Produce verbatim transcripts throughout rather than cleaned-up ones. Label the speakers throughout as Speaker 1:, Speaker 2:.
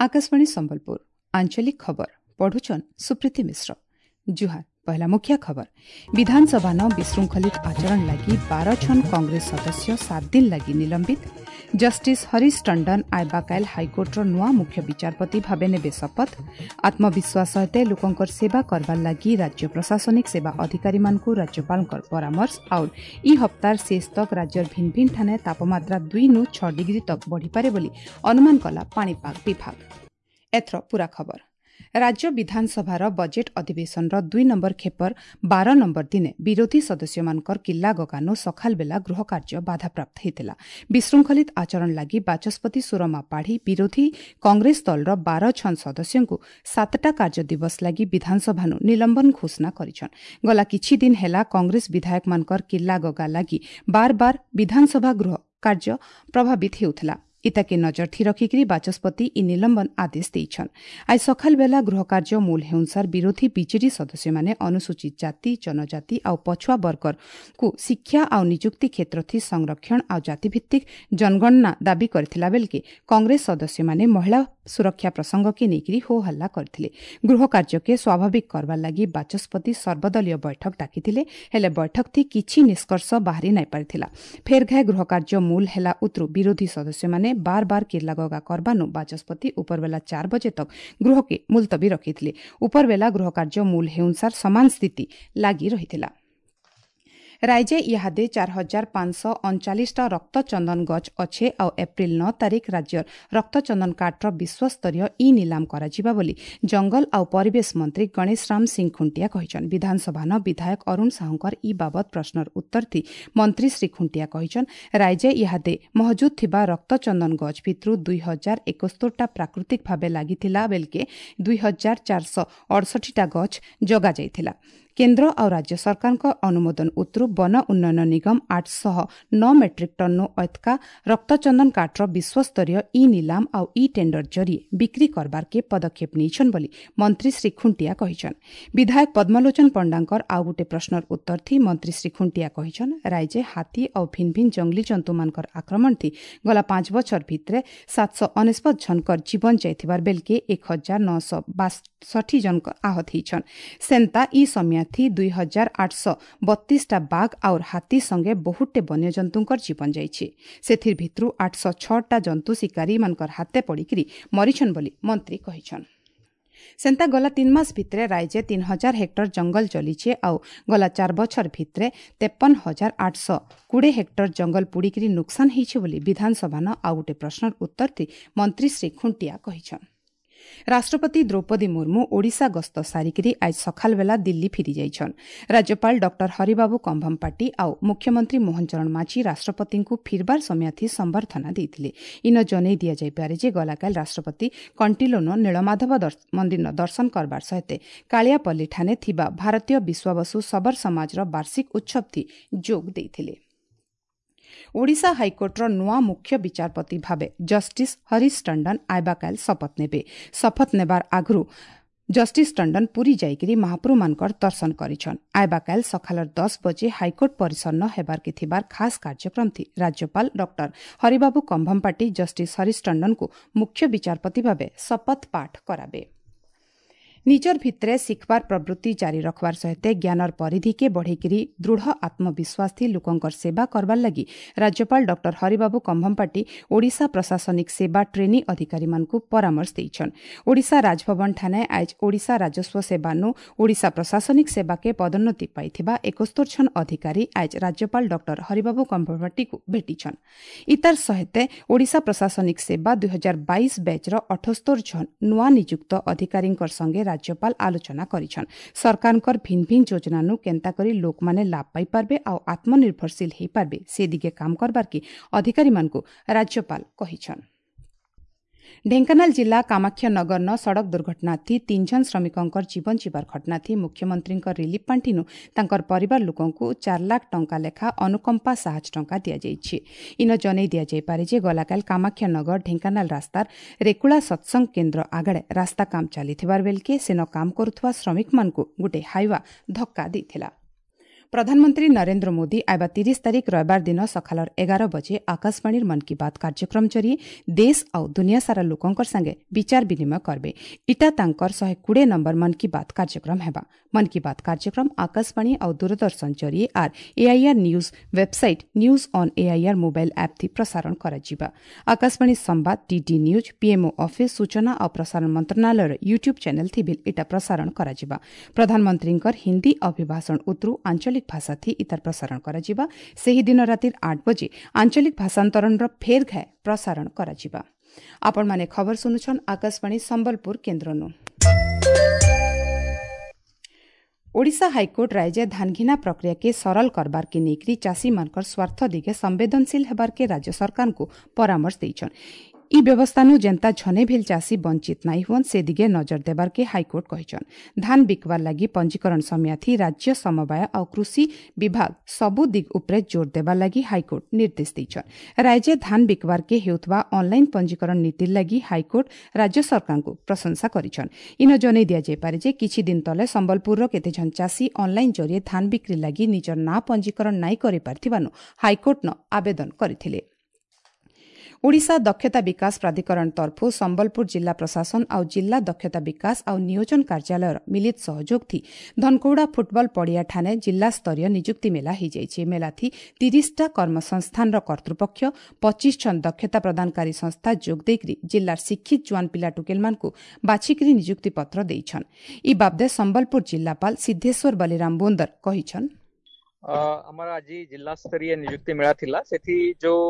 Speaker 1: ଆକାଶବାଣୀ ସମ୍ବଲପୁର ଆଞ୍ଚଳିକ ଖବର ପଢୁଛନ୍ ସୁପ୍ରୀତି ମିଶ୍ର ଜୁହାର ପହଲା ମୁଖ୍ୟ ଖବର ବିଧାନସଭାନ ବିଶୃଙ୍ଖଳିତ ଆଚରଣ ଲାଗି ବାର ଜଣ କଂଗ୍ରେସ ସଦସ୍ୟ ସାତ ଦିନ ଲାଗି ନିଲମ୍ବିତ ଜଷ୍ଟିସ୍ ହରିଶ ଟଣ୍ଡନ ଆଇବାକାଇଲ ହାଇକୋର୍ଟର ନୂଆ ମୁଖ୍ୟ ବିଚାରପତି ଭାବେ ନେବେ ଶପଥ ଆତ୍ମବିଶ୍ୱାସ ସହିତ ଲୋକଙ୍କର ସେବା କରବାର ଲାଗି ରାଜ୍ୟ ପ୍ରଶାସନିକ ସେବା ଅଧିକାରୀମାନଙ୍କୁ ରାଜ୍ୟପାଳଙ୍କର ପରାମର୍ଶ ଆଉ ଇ ହପ୍ତାର ଶେଷ ତକ ରାଜ୍ୟର ଭିନ୍ନ ଭିନ୍ନ ଠାନେ ତାପମାତ୍ରା ଦୁଇନୁ ଛଅ ଡିଗ୍ରୀ ତକ ବଢ଼ିପାରେ ବୋଲି ଅନୁମାନ କଲା ପାଣିପାଗ ବିଭାଗ ଏଥର ପୂରା ଖବର ରାଜ୍ୟ ବିଧାନସଭାର ବଜେଟ୍ ଅଧିବେଶନର ଦୁଇ ନମ୍ବର ଖେପର ବାର ନମ୍ବର ଦିନେ ବିରୋଧୀ ସଦସ୍ୟମାନଙ୍କର କିଲ୍ଲା ଗଗାନୁ ସକାଳବେଲା ଗୃହକାର୍ଯ୍ୟ ବାଧାପ୍ରାପ୍ତ ହୋଇଥିଲା ବିଶୃଙ୍ଖଳିତ ଆଚରଣ ଲାଗି ବାଚସ୍ପତି ସୁରମା ପାଢ଼ୀ ବିରୋଧୀ କଂଗ୍ରେସ ଦଳର ବାର ଜଣ ସଦସ୍ୟଙ୍କୁ ସାତଟା କାର୍ଯ୍ୟ ଦିବସ ଲାଗି ବିଧାନସଭାନୁ ନିଲମ୍ବନ ଘୋଷଣା କରିଛନ୍ ଗଲା କିଛି ଦିନ ହେଲା କଂଗ୍ରେସ ବିଧାୟକମାନଙ୍କର କିଲ୍ଲା ଗଗା ଲାଗି ବାର ବାର ବିଧାନସଭା ଗୃହ କାର୍ଯ୍ୟ ପ୍ରଭାବିତ ହେଉଥିଲା ଇତାକେ ନଜର ଥି ରଖିକରି ବାଚସ୍ପତି ଇ ନିଲମ୍ବନ ଆଦେଶ ଦେଇଛନ୍ ଆଜି ସକାଳବେଲା ଗୃହକାର୍ଯ୍ୟ ମୂଲ ହେଉନସାର ବିରୋଧୀ ବିଜେଡି ସଦସ୍ୟମାନେ ଅନୁସୂଚିତ ଜାତି ଜନଜାତି ଆଉ ପଛୁଆ ବର୍ଗକୁ ଶିକ୍ଷା ଆଉ ନିଯୁକ୍ତି କ୍ଷେତ୍ର ଥି ସଂରକ୍ଷଣ ଆଉ ଜାତିଭିତ୍ତିକ ଜନଗଣନା ଦାବି କରିଥିଲା ବେଲକେ କଂଗ୍ରେସ ସଦସ୍ୟମାନେ ମହିଳା ସୁରକ୍ଷା ପ୍ରସଙ୍ଗକେ ନେଇକରି ହୋ ହଲ୍ଲା କରିଥିଲେ ଗୃହ କାର୍ଯ୍ୟକେ ସ୍ୱାଭାବିକ କରବାର ଲାଗି ବାଚସ୍ପତି ସର୍ବଦଳୀୟ ବୈଠକ ଡାକିଥିଲେ ହେଲେ ବୈଠକ ଥି କିଛି ନିଷ୍କର୍ଷ ବାହାରି ନାଇଁ ପାରିଥିଲା ଫେର୍ ଘାଏ ଗୃହ କାର୍ଯ୍ୟ ମୂଲ ହେଲା ଉତ୍ରୁ ବିରୋଧୀ ସଦସ୍ୟମାନେ ବାର ବାର କିର୍ଲାଗଗା କରବାନୁ ବାଚସ୍ପତି ଉପରବେଲା ଚାର ବଜେ ତକ ଗୃହକେ ମୁଲତବୀ ରଖିଥିଲେ ଉପରବେଲା ଗୃହ କାର୍ଯ୍ୟ ମୂଲ ହେଉନସାର ସମାନ ସ୍ଥିତି ଲାଗି ରହିଥିଲା ରାଇଜେ ଇହାଦେ ଚାର ହଜାର ପାଞ୍ଚଶହ ଅଣଚାଳିଶଟା ରକ୍ତଚନ୍ଦନ ଗଛ ଅଛେ ଆଉ ଏପ୍ରିଲ ନଅ ତାରିଖ ରାଜ୍ୟର ରକ୍ତଚନ୍ଦନ କାଠର ବିଶ୍ୱସ୍ତରୀୟ ଇ ନିଲାମ କରାଯିବା ବୋଲି ଜଙ୍ଗଲ ଆଉ ପରିବେଶ ମନ୍ତ୍ରୀ ଗଣେଶ ରାମ ସିଂ ଖୁଣ୍ଟିଆ କହିଛନ୍ ବିଧାନସଭାନ ବିଧାୟକ ଅରୁଣ ସାହୁଙ୍କର ଇ ବାବଦ ପ୍ରଶ୍ନର ଉତ୍ତର ଥି ମନ୍ତ୍ରୀ ଶ୍ରୀ ଖୁଣ୍ଟିଆ କହିଛନ୍ ରାଇଜେ ଇହାଦେ ମହଜୁଦ ଥିବା ରକ୍ତଚନ୍ଦନ ଗଛ ଭିତରୁ ଦୁଇ ହଜାର ଏକସ୍ତରଟା ପ୍ରାକୃତିକ ଭାବେ ଲାଗିଥିଲା ବେଲକେ ଦୁଇ ହଜାର ଚାରିଶହ ଅଡ଼ଷଠିଟା ଗଛ ଜଗାଯାଇଥିଲା କେନ୍ଦ୍ର ଆଉ ରାଜ୍ୟ ସରକାରଙ୍କ ଅନୁମୋଦନ ଉତ୍ରୁ ବନ ଉନ୍ନୟନ ନିଗମ ଆଠଶହ ନଅ ମେଟ୍ରିକ୍ ଟନ୍ନୁ ଅଏତକା ରକ୍ତଚନ୍ଦନ କାଠର ବିଶ୍ୱସ୍ତରୀୟ ଇ ନିଲାମ ଆଉ ଇ ଟେଣ୍ଡର ଜରିଏ ବିକ୍ରି କରବାରକେ ପଦକ୍ଷେପ ନେଇଛନ୍ ବୋଲି ମନ୍ତ୍ରୀ ଶ୍ରୀ ଖୁଣ୍ଟିଆ କହିଛନ୍ ବିଧାୟକ ପଦ୍ମଲୋଚନ ପଣ୍ଡାଙ୍କର ଆଉ ଗୋଟେ ପ୍ରଶ୍ନର ଉତ୍ତର ଥି ମନ୍ତ୍ରୀ ଶ୍ରୀ ଖୁଣ୍ଟିଆ କହିଛନ୍ ରାଇଜେ ହାତୀ ଆଉ ଭିନ୍ନ ଭିନ୍ନ ଜଙ୍ଗଲୀ ଜନ୍ତୁମାନଙ୍କର ଆକ୍ରମଣ ଥି ଗଲା ପାଞ୍ଚ ବଛର ଭିତରେ ସାତଶହ ଅନେଶତ ଜଣଙ୍କର ଜୀବନ ଯାଇଥିବାର ବେଲକେ ଏକ ହଜାର ନଅଶହ ବାଷଠି ଜଣଙ୍କ ଆହତ ହେଇଛନ୍ ସେନ୍ତା ଇ ସମିଆ ଥି ଦୁଇ ହଜାର ଆଠଶହ ବତିଶଟା ବାଘ ଆଉର ହାତୀ ସଙ୍ଗେ ବହୁତଟେ ବନ୍ୟଜନ୍ତୁଙ୍କର ଜୀବନ ଯାଇଛି ସେଥିର ଭିତରୁ ଆଠଶହ ଛଅଟା ଜନ୍ତୁ ଶିକାରୀମାନଙ୍କର ହାତେ ପଡ଼ିକିରି ମରିଛନ୍ ବୋଲି ମନ୍ତ୍ରୀ କହିଛନ୍ ସେନ୍ତା ଗଲା ତିନି ମାସ ଭିତରେ ରାଇଜେ ତିନି ହଜାର ହେକ୍ଟର ଜଙ୍ଗଲ ଜଲିଛେ ଆଉ ଗଲା ଚାର ବଛର ଭିତରେ ତେପନ ହଜାର ଆଠଶହ କୋଡ଼ିଏ ହେକ୍ଟର ଜଙ୍ଗଲ ପୋଡ଼ିକିରି ନୁକସାନ ହେଇছে ବୋଲି ବିଧାନସଭାନ ଆଉ ଗୋଟେ ପ୍ରଶ୍ନର ଉତ୍ତର ଥି ମନ୍ତ୍ରୀ ଶ୍ରୀ ଖୁଣ୍ଟିଆ କହିଛନ୍ ରାଷ୍ଟ୍ରପତି ଦ୍ରୌପଦୀ ମୁର୍ମୁ ଓଡ଼ିଶା ଗସ୍ତ ସାରିକିରି ଆଜି ସକାଳବେଲା ଦିଲ୍ଲୀ ଫିରିଯାଇଛନ୍ ରାଜ୍ୟପାଳ ଡକ୍ଟର ହରିବାବୁ କମ୍ଭମପାଟି ଆଉ ମୁଖ୍ୟମନ୍ତ୍ରୀ ମୋହନ ଚରଣ ମାଝୀ ରାଷ୍ଟ୍ରପତିଙ୍କୁ ଫିରବାର ସମୟାଥି ସମ୍ବର୍ଦ୍ଧନା ଦେଇଥିଲେ ଇନ ଜନେଇ ଦିଆଯାଇପାରେ ଯେ ଗଲାକାଲି ରାଷ୍ଟ୍ରପତି କଣ୍ଟିଲୋନ ନୀଳମାଧବ ମନ୍ଦିର ଦର୍ଶନ କରବାର ସହିତ କାଳିଆପଲ୍ଲୀ ଠାନେ ଥିବା ଭାରତୀୟ ବିଶ୍ୱାବସୁ ଶବର ସମାଜର ବାର୍ଷିକ ଉତ୍ସବଥି ଯୋଗ ଦେଇଥିଲେ ଓଡ଼ିଶା ହାଇକୋର୍ଟର ନୂଆ ମୁଖ୍ୟ ବିଚାରପତି ଭାବେ ଜଷ୍ଟିସ୍ ହରିଶ ଟଣ୍ଡନ ଆଇବାକାଲ ଶପଥ ନେବେ ଶପଥ ନେବାର ଆଗରୁ ଜଷ୍ଟିସ୍ ଟଣ୍ଡନ ପୁରୀ ଯାଇକରି ମହାପ୍ରଭୁମାନଙ୍କର ଦର୍ଶନ କରିଛନ୍ ଆଇବାକାଲ ସକାଳର ଦଶ ବଜେ ହାଇକୋର୍ଟ ପରିସରନ ହେବାରକେ ଥିବାର ଖାସ୍ କାର୍ଯ୍ୟକ୍ରମ ଥି ରାଜ୍ୟପାଳ ଡକ୍ଟର ହରିବାବୁ କମ୍ଭମପାଟି ଜଷ୍ଟିସ୍ ହରିଶ ଟଣ୍ଡନଙ୍କୁ ମୁଖ୍ୟ ବିଚାରପତି ଭାବେ ଶପଥ ପାଠ କରାବେ ନିଜର ଭିତରେ ଶିଖବାର ପ୍ରବୃତ୍ତି ଜାରି ରଖବାର ସହିତ ଜ୍ଞାନର ପରିଧିକେ ବଢ଼େଇକିରି ଦୃଢ଼ ଆତ୍ମବିଶ୍ୱାସ ଥି ଲୋକଙ୍କର ସେବା କରବାର ଲାଗି ରାଜ୍ୟପାଳ ଡକ୍ଟର ହରିବାବୁ କମ୍ଭମପାଟି ଓଡ଼ିଶା ପ୍ରଶାସନିକ ସେବା ଟ୍ରେନି ଅଧିକାରୀମାନଙ୍କୁ ପରାମର୍ଶ ଦେଇଛନ୍ ଓଡ଼ିଶା ରାଜଭବନ ଠାନେ ଆଜ ଓଡ଼ିଶା ରାଜସ୍ୱ ସେବାନୁ ଓଡ଼ିଶା ପ୍ରଶାସନିକ ସେବାକେ ପଦୋନ୍ନତି ପାଇଥିବା ଏକସ୍ତର ଜଣ ଅଧିକାରୀ ଆଜ ରାଜ୍ୟପାଳ ଡକ୍ଟର ହରିବାବୁ କମ୍ଭମପାଟିକୁ ଭେଟିଛନ୍ ଇତାର ସହିତ ଓଡ଼ିଶା ପ୍ରଶାସନିକ ସେବା ଦୁଇ ହଜାର ବାଇଶ ବ୍ୟାଚ୍ର ଅଠସ୍ତର ଜଣ ନୂଆ ନିଯୁକ୍ତ ଅଧିକାରୀଙ୍କର ସଙ୍ଗେ ରାଜ୍ୟପାଳ ଆଲୋଚନା କରିଛନ୍ ସରକାରଙ୍କର ଭିନ୍ନ ଭିନ୍ନ ଯୋଜନାନୁ କେନ୍ତା କରି ଲୋକମାନେ ଲାଭ ପାଇପାରବେ ଆଉ ଆତ୍ମନିର୍ଭରଶୀଳ ହେଇପାରବେ ସେ ଦିଗେ କାମ କରବାର୍କେ ଅଧିକାରୀମାନଙ୍କୁ ରାଜ୍ୟପାଳ କହିଛନ୍ ଢେଙ୍କାନାଳ ଜିଲ୍ଲା କାମାକ୍ଷାନଗରନ ସଡ଼କ ଦୁର୍ଘଟଣା ଥି ତିନି ଜଣ ଶ୍ରମିକଙ୍କର ଜୀବନ ଯିବାର ଘଟଣା ଥି ମୁଖ୍ୟମନ୍ତ୍ରୀଙ୍କ ରିଲିଫ ପାଣ୍ଠିନୁ ତାଙ୍କର ପରିବାର ଲୋକଙ୍କୁ ଚାରି ଲାଖ ଟଙ୍କା ଲେଖା ଅନୁକମ୍ପା ସାହାଯ୍ୟ ଟଙ୍କା ଦିଆଯାଇଛି ଇନ ଜନେଇ ଦିଆଯାଇପାରେ ଯେ ଗଲାକାଲି କାମାକ୍ଷାନଗର ଢେଙ୍କାନାଳ ରାସ୍ତାର ରେକୁଳା ସତ୍ସଙ୍ଗ କେନ୍ଦ୍ର ଆଗଡ଼େ ରାସ୍ତା କାମ ଚାଲିଥିବାର ବେଲକେ ସେନ କାମ କରୁଥିବା ଶ୍ରମିକମାନଙ୍କୁ ଗୋଟେ ହାଇୱା ଧକ୍କା ଦେଇଥିଲା ପ୍ରଧାନମନ୍ତ୍ରୀ ନରେନ୍ଦ୍ର ମୋଦି ଆଇବା ତିରିଶ ତାରିଖ ରବିବାର ଦିନ ସକାଳର ଏଗାର ବଜେ ଆକାଶବାଣୀର ମନ୍ କି ବାତ୍ କାର୍ଯ୍ୟକ୍ରମ ଜରିଏ ଦେଶ ଆଉ ଦୁନିଆ ସାରା ଲୋକଙ୍କର ସାଙ୍ଗେ ବିଚାର ବିନିମୟ କରବେ। ଇଟା ତାଙ୍କର ଶହେ କୋଡ଼ିଏ ନମ୍ବର ମନ୍ କି ବାତ୍ କାର୍ଯ୍ୟକ୍ରମ ହେବା। ମନ୍ କି ବାତ୍ କାର୍ଯ୍ୟକ୍ରମ ଆକାଶବାଣୀ ଆଉ ଦୂରଦର୍ଶନ ଜରିଏ ଆର୍ AIR news website, news on AIR mobile app ଥି ପ୍ରସାରଣ କରାଯିବା। ଆକାଶବାଣୀ ସମ୍ବାଦ, ଡିଡି ନ୍ୟୁଜ୍, ପିଏମ୍ଓ ଅଫିସ୍, ସୂଚନା ଆଉ ପ୍ରସାରଣ ମନ୍ତ୍ରଣାଳୟର ୟୁଟ୍ୟୁବ୍ ଚ୍ୟାନେଲ୍ ଥି ବି ଇଟା ପ୍ରସାରଣ କରାଯିବା। ପ୍ରଧାନମନ୍ତ୍ରୀଙ୍କର ହିନ୍ଦୀ ଅଭିଭାଷଣ ଉତରୁ ଆଞ୍ଚଳିକ ଭାଷା ଥି ଇତାର ପ୍ରସାରଣ କରାଯିବା। ସେହି ଦିନ ରାତିର ଆଠ ବଜେ ଆଞ୍ଚଳିକ ଭାଷାନ୍ତରଣର ଫେର ଘାଏ ପ୍ରସାରଣ କରାଯିବା। ଆପଣମାନେ ଖବର ଶୁଣୁଛନ୍ ଆକାଶବାଣୀ ସମ୍ବଲପୁର କେନ୍ଦ୍ରନୁ। ଓଡ଼ିଶା ହାଇକୋର୍ଟ ରାୟଜେ ଧାନଘିନା ପ୍ରକ୍ରିୟାକେ ସରଳ କରବାର୍କେ ନେଇକରି ଚାଷୀମାନଙ୍କର ସ୍ୱାର୍ଥ ଦିଗେ ସମ୍ବେଦନଶୀଳ ହେବାର୍କେ ରାଜ୍ୟ ସରକାରଙ୍କୁ ପରାମର୍ଶ ଦେଇଛନ୍। ଇ ବ୍ୟବସ୍ଥାନୁ ଯେନ୍ତା ଝନେ ଭିଲ୍ ଚାଷୀ ବଞ୍ଚିତ ନାଇଁ ହୁଅନ୍, ସେ ଦିଗେ ନଜର ଦେବାର୍କେ ହାଇକୋର୍ଟ କହିଛନ୍। ଧାନ ବିକବାର୍ ଲାଗି ପଞ୍ଜୀକରଣ ସମୟାଥି ରାଜ୍ୟ ସମବାୟ ଆଉ କୃଷି ବିଭାଗ ସବୁ ଦିଗ ଉପରେ ଜୋର ଦେବାର୍ ଲାଗି ହାଇକୋର୍ଟ ନିର୍ଦ୍ଦେଶ ଦେଇଛନ୍। ରାଜ୍ୟ ଧାନ ବିକବାର୍କେ ହେଉଥିବା ଅନ୍ଲାଇନ୍ ପଞ୍ଜୀକରଣ ନୀତିର୍ ଲାଗି ହାଇକୋର୍ଟ ରାଜ୍ୟ ସରକାରଙ୍କୁ ପ୍ରଶଂସା କରିଛନ୍। ଇନ ଜଣାଇ ଦିଆଯାଇପାରେ ଯେ କିଛି ଦିନ ତଲେ ସମ୍ବଲପୁରର କେତେଜଣ ଚାଷୀ ଅନ୍ଲାଇନ୍ ଜରିଏ ଧାନ ବିକ୍ରି ଲାଗି ନିଜର ନାଁ ପଞ୍ଜୀକରଣ ନାଇଁ କରିପାରିଥିବାନୁ ହାଇକୋର୍ଟନ ଆବେଦନ କରିଥିଲେ। ଓଡ଼ିଶା ଦକ୍ଷତା ବିକାଶ ପ୍ରାଧିକରଣ ତରଫରୁ ସମ୍ବଲପୁର ଜିଲ୍ଲା ପ୍ରଶାସନ ଆଉ ଜିଲ୍ଲା ଦକ୍ଷତା ବିକାଶ ଆଉ ନିୟୋଜନ କାର୍ଯ୍ୟାଳୟର ମିଳିତ ସହଯୋଗ ଥି ଧନକୌଡ଼ା ଫୁଟବଲ ପଡ଼ିଆଠାନେ ଜିଲ୍ଲାସ୍ତରୀୟ ନିଯୁକ୍ତି ମେଳା ହୋଇଯାଇଛି। ମେଳାଥି ତିରିଶଟା କର୍ମସଂସ୍ଥାନର କର୍ତ୍ତୃପକ୍ଷ, ପଚିଶ ଜଣ ଦକ୍ଷତା ପ୍ରଦାନକାରୀ ସଂସ୍ଥା ଯୋଗ ଦେଇକରି ଜିଲ୍ଲାର ଶିକ୍ଷିତ ଜୁଆନ ପିଲା ଟୁକେଲମାନଙ୍କୁ ବାଛିକରି ନିଯୁକ୍ତି ପତ୍ର ଦେଇଛନ୍। ଇ ବାବଦେ ସମ୍ବଲପୁର ଜିଲ୍ଲାପାଳ ସିଦ୍ଧେଶ୍ୱର ବଲିରାମ ବୋନ୍ଦର କହିଛନ୍,
Speaker 2: ଆମର ଆଜି ଜିଲ୍ଲା ସ୍ତରୀୟ ନିଯୁକ୍ତି ମେଳା ଥିଲା। ସେଠି ଯୋଉ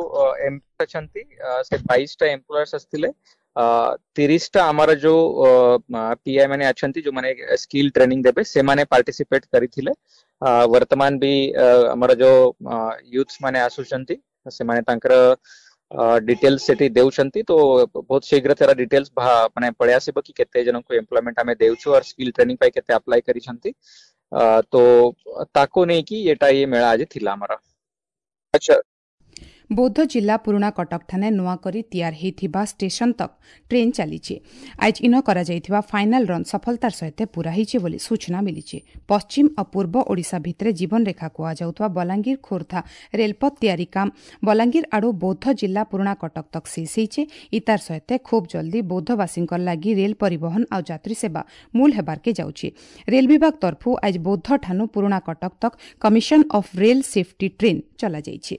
Speaker 2: ଅଛନ୍ତି ସେ ବାଇଶଟା ଏମ୍ପ୍ଲୟର୍ସ ଆସିଥିଲେ, ତିରିଶଟା ଆମର ଯୋଉ ପିଆଇ ମାନେ ଅଛନ୍ତି, ଯୋଉମାନେ ସ୍କିଲ୍ ଟ୍ରେନିଂ ଦେବେ, ସେମାନେ ପାର୍ଟିସିପେଟ କରିଥିଲେ। ବର୍ତ୍ତମାନ ବି ଆମର ଯୋଉ ୟୁଥ୍ସ ମାନେ ଆସୁଛନ୍ତି, ସେମାନେ ତାଙ୍କର ଡିଟେଲ୍ସ ସେଠି ଦେଉଛନ୍ତି। ତ ବହୁତ ଶୀଘ୍ର ତାର ଡିଟେଲ୍ସ ମାନେ ପଳେଇ ଆସିବ କି କେତେ ଜଣଙ୍କୁ ଏମ୍ପ୍ଲୟମେଣ୍ଟ ଆମେ ଦେଉଛୁ ଆଉ ସ୍କିଲ୍ ଟ୍ରେନିଂ ପାଇଁ କେତେ ଆପ୍ଲାଏ କରିଛନ୍ତି। ତ ତାକୁ ନେଇକି ଏଟା ଇଏ ମେଳା ଆଜି ଥିଲା ଆମର।
Speaker 1: ଆଚ୍ଛା, ବୌଦ୍ଧ ଜିଲ୍ଲା ପୁରୁଣା କଟକଠାନେ ନୂଆ କରି ତିଆର ହୋଇଥିବା ଷ୍ଟେସନ ତକ୍ ଟ୍ରେନ୍ ଚାଲିଛି। ଆଜି ଇନ କରାଯାଇଥିବା ଫାଇନାଲ ରନ୍ ସଫଳତାର ସହିତ ପୂରା ହୋଇଛି ବୋଲି ସୂଚନା ମିଳିଛି। ପଶ୍ଚିମ ଆଉ ପୂର୍ବ ଓଡ଼ିଶା ଭିତରେ ଜୀବନରେଖା କୁହାଯାଉଥିବା ବଲାଙ୍ଗୀର ଖୋର୍ଦ୍ଧା ରେଳପଥ ତିଆରି କାମ ବଲାଙ୍ଗୀର ଆଡ଼ୁ ବୌଦ୍ଧ ଜିଲ୍ଲା ପୁରୁଣା କଟକ ତକ୍ ଶେଷ ହୋଇଛି। ଇତାର ସହିତ ଖୁବ୍ ଜଲ୍ଦି ବୌଦ୍ଧବାସୀଙ୍କ ଲାଗି ରେଳ ପରିବହନ ଆଉ ଯାତ୍ରୀ ସେବା ମୂଳ ହେବାର୍କେ ଯାଉଛି। ରେଳ ବିଭାଗ ତରଫରୁ ଆଜି ବୌଦ୍ଧଠାନୁ ପୁରୁଣା କଟକ ତକ୍ commission of rail safety train ଚଲାଯାଇଛି।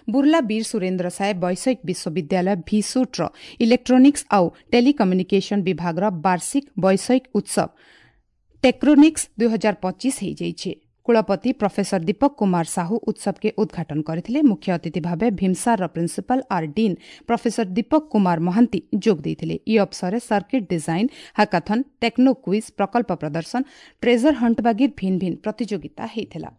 Speaker 1: Burla ବୀର ସୁରେନ୍ଦ୍ର ସାଏ ବୈଷୟିକ ବିଶ୍ୱବିଦ୍ୟାଳୟ ଭିସୁଟ୍ର ଇଲେକ୍ଟ୍ରୋନିକ୍ସ ଆଉ ଟେଲିକମ୍ୟୁନିକେସନ ବିଭାଗର ବାର୍ଷିକ ବୈଷୟିକ ଉତ୍ସବ ଟେକ୍ରୋନିକ୍ସ ଦୁଇ ହଜାର ପଚିଶ ହୋଇଯାଇଛି। କୁଳପତି ପ୍ରଫେସର ଦୀପକ କୁମାର ସାହୁ ଉତ୍ସବକେ ଉଦ୍ଘାଟନ କରିଥିଲେ। ମୁଖ୍ୟ ଅତିଥି ଭାବେ ଭୀମସାରର ପ୍ରିନ୍ସିପାଲ ଆର୍ ଡିନ୍ ପ୍ରଫେସର ଦୀପକ କୁମାର ମହାନ୍ତି ଯୋଗ ଦେଇଥିଲେ। ଇ ଅବସରରେ circuit design, hackathon, techno quiz, ପ୍ରକଳ୍ପ ପ୍ରଦର୍ଶନ, ଟ୍ରେଜର ହଣ୍ଟ ବାଗିର ଭିନ୍ନ ଭିନ୍ନ ପ୍ରତିଯୋଗିତା ହୋଇଥିଲା।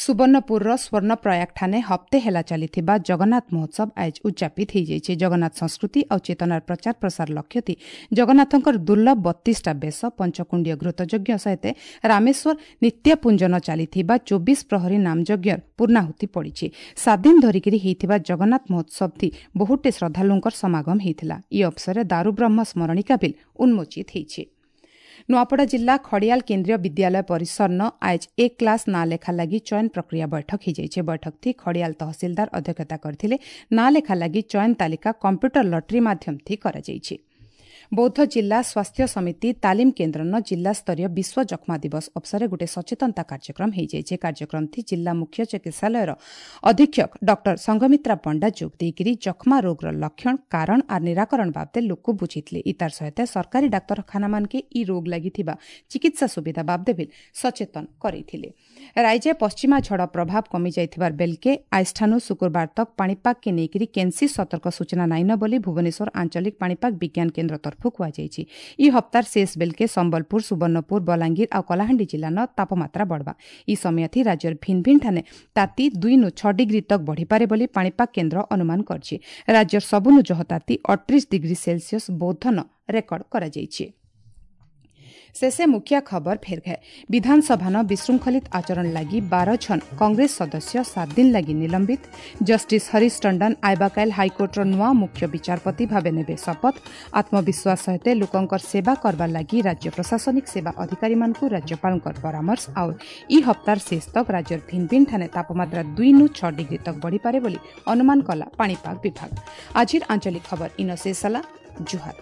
Speaker 1: ସୁବର୍ଣ୍ଣପୁରର ସ୍ୱର୍ଣ୍ଣପ୍ରୟାଗଠାନେ ହପ୍ତେ ହେଲା ଚାଲିଥିବା ଜଗନ୍ନାଥ ମହୋତ୍ସବ ଆଜ ଉଦ୍ଯାପିତ ହୋଇଯାଇଛି। ଜଗନ୍ନାଥ ସଂସ୍କୃତି ଆଉ ଚେତନାର ପ୍ରଚାର ପ୍ରସାର ଲକ୍ଷ୍ୟ ଥି ଜଗନ୍ନାଥଙ୍କର ଦୁର୍ଲଭ ବତିଶଟା ବେଶ, ପଞ୍ଚକୁଣ୍ଡୀୟ ଘୃତଯଜ୍ଞ ସହିତ ରାମେଶ୍ୱର ନିତ୍ୟପୁଞ୍ଜନ ଚାଲିଥିବା ଚବିଶ ପ୍ରହରୀ ନାମଯଜ୍ଞର ପୂର୍ଣ୍ଣାହୁତି ପଡ଼ିଛି। ସାତ ଦିନ ଧରିକିରି ହୋଇଥିବା ଜଗନ୍ନାଥ ମହୋତ୍ସବ ଥି ବହୁଟେ ଶ୍ରଦ୍ଧାଳୁଙ୍କର ସମାଗମ ହୋଇଥିଲା। ଇ ଅବସରରେ ଦାରୁବ୍ରହ୍ମ ସ୍ମରଣିକା ବିଲ୍ ଉନ୍ମୋଚିତ ହୋଇଛି। ନୂଆପଡ଼ା ଜିଲ୍ଲା ଖଡ଼ିଆଲ କେନ୍ଦ୍ରୀୟ ବିଦ୍ୟାଳୟ ପରିସରନ ଆଜ ଏକ କ୍ଲାସ୍ ନାଁ ଲେଖା ଲାଗି ଚୟନ ପ୍ରକ୍ରିୟା ବୈଠକ ହୋଇଯାଇଛି। ବୈଠକ ଥି ଖଡ଼ିଆଲ ତହସିଲଦାର ଅଧ୍ୟକ୍ଷତା କରିଥିଲେ। ନାଁ ଲେଖା ଲାଗି ଚୟନ ତାଲିକା କମ୍ପ୍ୟୁଟର ଲଟେରୀ ମାଧ୍ୟମ ଥି କରାଯାଇଛି। ବୌଦ୍ଧ ଜିଲ୍ଲା ସ୍ୱାସ୍ଥ୍ୟ ସମିତି ତାଲିମ କେନ୍ଦ୍ରନ ଜିଲ୍ଲାସ୍ତରୀୟ ବିଶ୍ୱ ଯକ୍ଷ୍ମା ଦିବସ ଅବସରରେ ଗୋଟିଏ ସଚେତନତା କାର୍ଯ୍ୟକ୍ରମ ହୋଇଯାଇଛି। କାର୍ଯ୍ୟକ୍ରମ ଥି ଜିଲ୍ଲା ମୁଖ୍ୟ ଚିକିତ୍ସାଳୟର ଅଧୀକ୍ଷକ ଡକ୍ଟର ସଂଘମିତ୍ରା ପଣ୍ଡା ଯୋଗ ଦେଇକରି ଯକ୍ଷ୍ମା ରୋଗର ଲକ୍ଷଣ, କାରଣ ଆର୍ ନିରାକରଣ ବାବଦେ ଲୋକ ବୁଝିଥିଲେ। ଇତାର ସହିତ ସରକାରୀ ଡାକ୍ତରଖାନାମାନକେ ଇ ରୋଗ ଲାଗିଥିବା ଚିକିତ୍ସା ସୁବିଧା ବାବଦେ ବି ସଚେତନ କରାଇଥିଲେ। ରାଜ୍ୟ ପଶ୍ଚିମା ଝଡ଼ ପ୍ରଭାବ କମିଯାଇଥିବାର ବେଲକେ ଆଇଷ୍ଠାନୁ ଶୁକ୍ରବାର ତକ୍ ପାଣିପାଗକେ ନେଇକରି କେନ୍ସି ସତର୍କ ସୂଚନା ନାଇନ ବୋଲି ଭୁବନେଶ୍ୱର ଆଞ୍ଚଳିକ ପାଣିପାଗ ବିଜ୍ଞାନ କେନ୍ଦ୍ର ତରଫରୁ କୁହାଯାଇଛି। ଇ ହପ୍ତାର ଶେଷ ବେଲକେ ସମ୍ବଲପୁର, ସୁବର୍ଣ୍ଣପୁର, ବଲାଙ୍ଗୀର ଆଉ କଳାହାଣ୍ଡି ଜିଲ୍ଲାନ ତାପମାତ୍ରା ବଢ଼ବା। ଇ ସମୟଥି ରାଜ୍ୟର ଭିନ୍ନ ଭିନ୍ନ ଠାନେ ତାତି ଦୁଇନୁ ଛଅ ଡିଗ୍ରୀ ତକ୍ ବଢ଼ିପାରେ ବୋଲି ପାଣିପାଗ କେନ୍ଦ୍ର ଅନୁମାନ କରିଛି। ରାଜ୍ୟର ସବୁନୁ ଜହ ତାତି ଅଠତିରିଶ ଡିଗ୍ରୀ ସେଲସିୟସ୍ ବୌଦ୍ଧନ ରେକର୍ଡ କରାଯାଇଛି। ଶେଷେ ମୁଖ୍ୟ ଖବର ଫେର ଘେ। ବିଧାନସଭାନ ବିଶୃଙ୍ଖଳିତ ଆଚରଣ ଲାଗି ବାର ଜଣ କଂଗ୍ରେସ ସଦସ୍ୟ ସାତ ଦିନ ଲାଗି ନିଲମ୍ବିତ। ଜଷ୍ଟିସ୍ ହରିଶ ଟଣ୍ଡନ ଆଇବାକାଇଲ ହାଇକୋର୍ଟର ନୂଆ ମୁଖ୍ୟ ବିଚାରପତି ଭାବେ ନେବେ ଶପଥ। ଆତ୍ମବିଶ୍ୱାସ ସହିତ ଲୋକଙ୍କର ସେବା କରବାର ଲାଗି ରାଜ୍ୟ ପ୍ରଶାସନିକ ସେବା ଅଧିକାରୀମାନଙ୍କୁ ରାଜ୍ୟପାଳଙ୍କର ପରାମର୍ଶ। ଆଉ ଇ ହପ୍ତାର ଶେଷ ତକ ରାଜ୍ୟର ଭିନ୍ନ ଭିନ୍ନ ଠାନେ ତାପମାତ୍ରା ଦୁଇନୁ ଛଅ ଡିଗ୍ରୀ ତକ ବଢ଼ିପାରେ ବୋଲି ଅନୁମାନ କଲା ପାଣିପାଗ ବିଭାଗ। ଆଜିର ଆଞ୍ଚଳିକ ଖବର ଇନ ଶେଷ ହେଲା। ଜୁହାର।